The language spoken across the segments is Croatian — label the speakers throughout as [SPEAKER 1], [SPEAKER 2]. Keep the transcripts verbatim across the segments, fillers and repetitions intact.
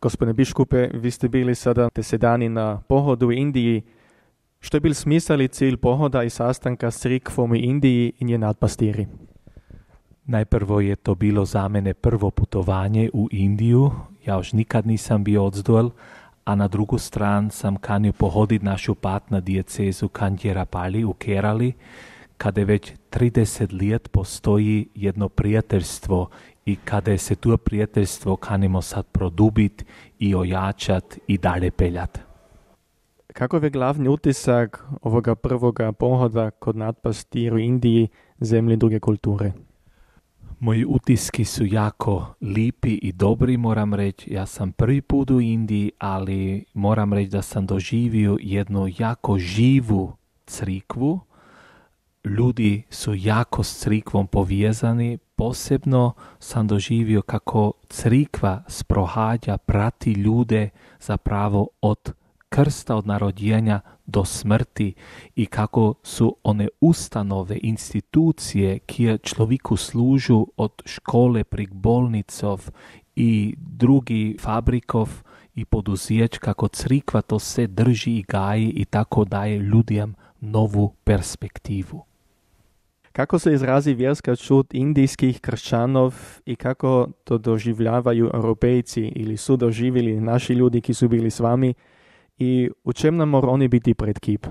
[SPEAKER 1] Gospodine biškupe, vi ste bili sada deset dani na pohodu u Indiji. Što je bil smisel i cilj pohoda i sastanka s crikvom u Indiji i njen nadpastiri?
[SPEAKER 2] Najprvo je to bilo za mene prvo putovanje u Indiju. Ja još nikad nisam bio odzdol, a na drugu stranu sam kanio pohoditi našu patna diecezu Kanđerapali u Kerali, kada već trideset let postoji jedno prijateljstvo i kada se to prijateljstvo kanimo sad produbiti i ojačati i dalje peljati.
[SPEAKER 1] Kako je glavni utisak ovoga prvoga pohoda kod nadpastiru Indiji, zemlji druge kulture?
[SPEAKER 2] Moji utiski su jako lipi i dobri, moram reći. Ja sam prvi put u Indiji, ali moram reći da sam doživio jednu jako živu crikvu. Ljudi su jako s crikvom povezani. Posebno sam doživio kako crikva sprohađa, prati ljude zapravo od krsta, od narodjenja do smrti i kako su one ustanove, institucije koje človeku služu od škole prek bolnicov i drugi fabrikov i poduzeća, kako crikva to sve drži i gaji i tako daje ljudям novu perspektivu.
[SPEAKER 1] Kako se izrazi vjerska čut indijskih kršćanov i kako to doživljavaju Europejci ili su doživjeli naši ljudi ki su bili s vami i u čem nam mora oni biti predkip?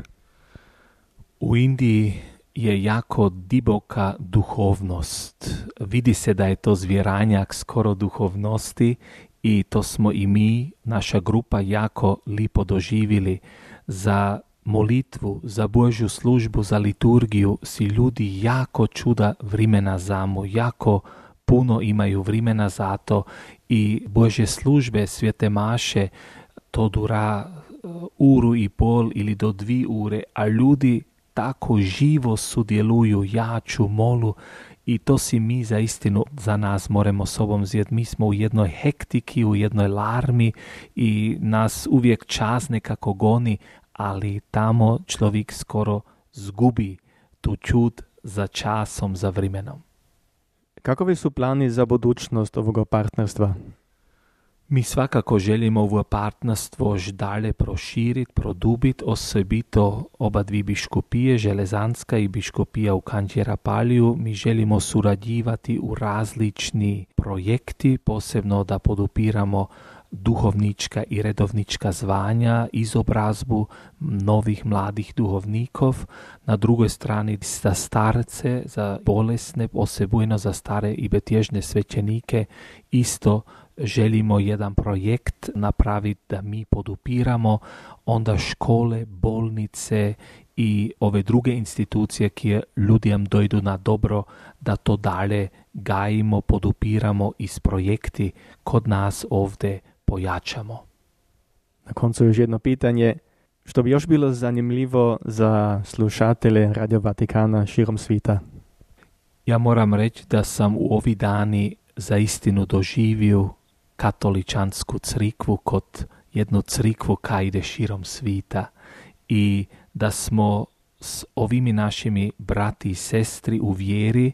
[SPEAKER 2] U Indiji je jako diboka duhovnost. Vidi se da je to zvjeranjak skoro duhovnosti i to smo i mi, naša grupa, jako lipo doživjeli. Za molitvu, za Božju službu, za liturgiju si ljudi jako čuda vrimena zamu, jako puno imaju vrimena za to i Božje službe, svete maše, to dura uru i pol ili do dvi ure, a ljudi tako živo sudjeluju, jaču, molu i to si mi za istinu za nas moramo sobom zjeti. Mi smo u jednoj hektiki, u jednoj larmi i nas uvijek čas nekako goni, ali tamo človek skoro zgubi tu čut za časom, za vremenom.
[SPEAKER 1] Kakovi su plani za budućnost ovoga partnerstva?
[SPEAKER 2] Mi svakako želimo ovo partnerstvo još dalje proširiti, produbiti, osobito oba dvi biškupije, Železanska i biškupija u Kanđerapaliju. Mi želimo surađivati u različni projekti, posebno da podupiramo duhovnička i redovnička zvanja, izobrazbu novih mladih duhovnikov. Na drugoj strani za starce, za bolesne, posebujno za stare i betježne svećenike, isto želimo jedan projekt napraviti da mi podupiramo onda škole, bolnice i ove druge institucije koje ljudям dojdu na dobro, da to dalje gajimo, podupiramo i s projekti kod nas ovdje pojačamo.
[SPEAKER 1] Na koncu još jedno pitanje, što bi još bilo zanimljivo za slušatelje Radio Vatikana širom svita?
[SPEAKER 2] Ja moram reći da sam u ovi dani za istinu doživio katoličansku crikvu kod jednu crikvu koja ide širom svita i da smo s ovimi našimi brati i sestri u vjeri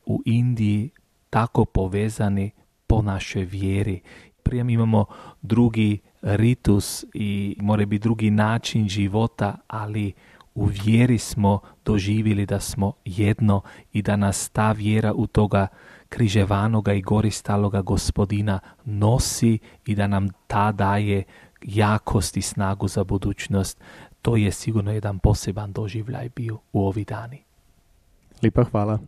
[SPEAKER 2] u Indiji tako povezani po našoj vjeri. Prije imamo drugi ritus i mora biti drugi način života, ali u vjeri smo doživjeli da smo jedno i da nas ta vjera u toga križevanoga i goristaloga Gospodina nosi i da nam ta daje jakost i snagu za budućnost. To je sigurno jedan poseban doživljaj bio u ovi dani.
[SPEAKER 1] Lipa hvala.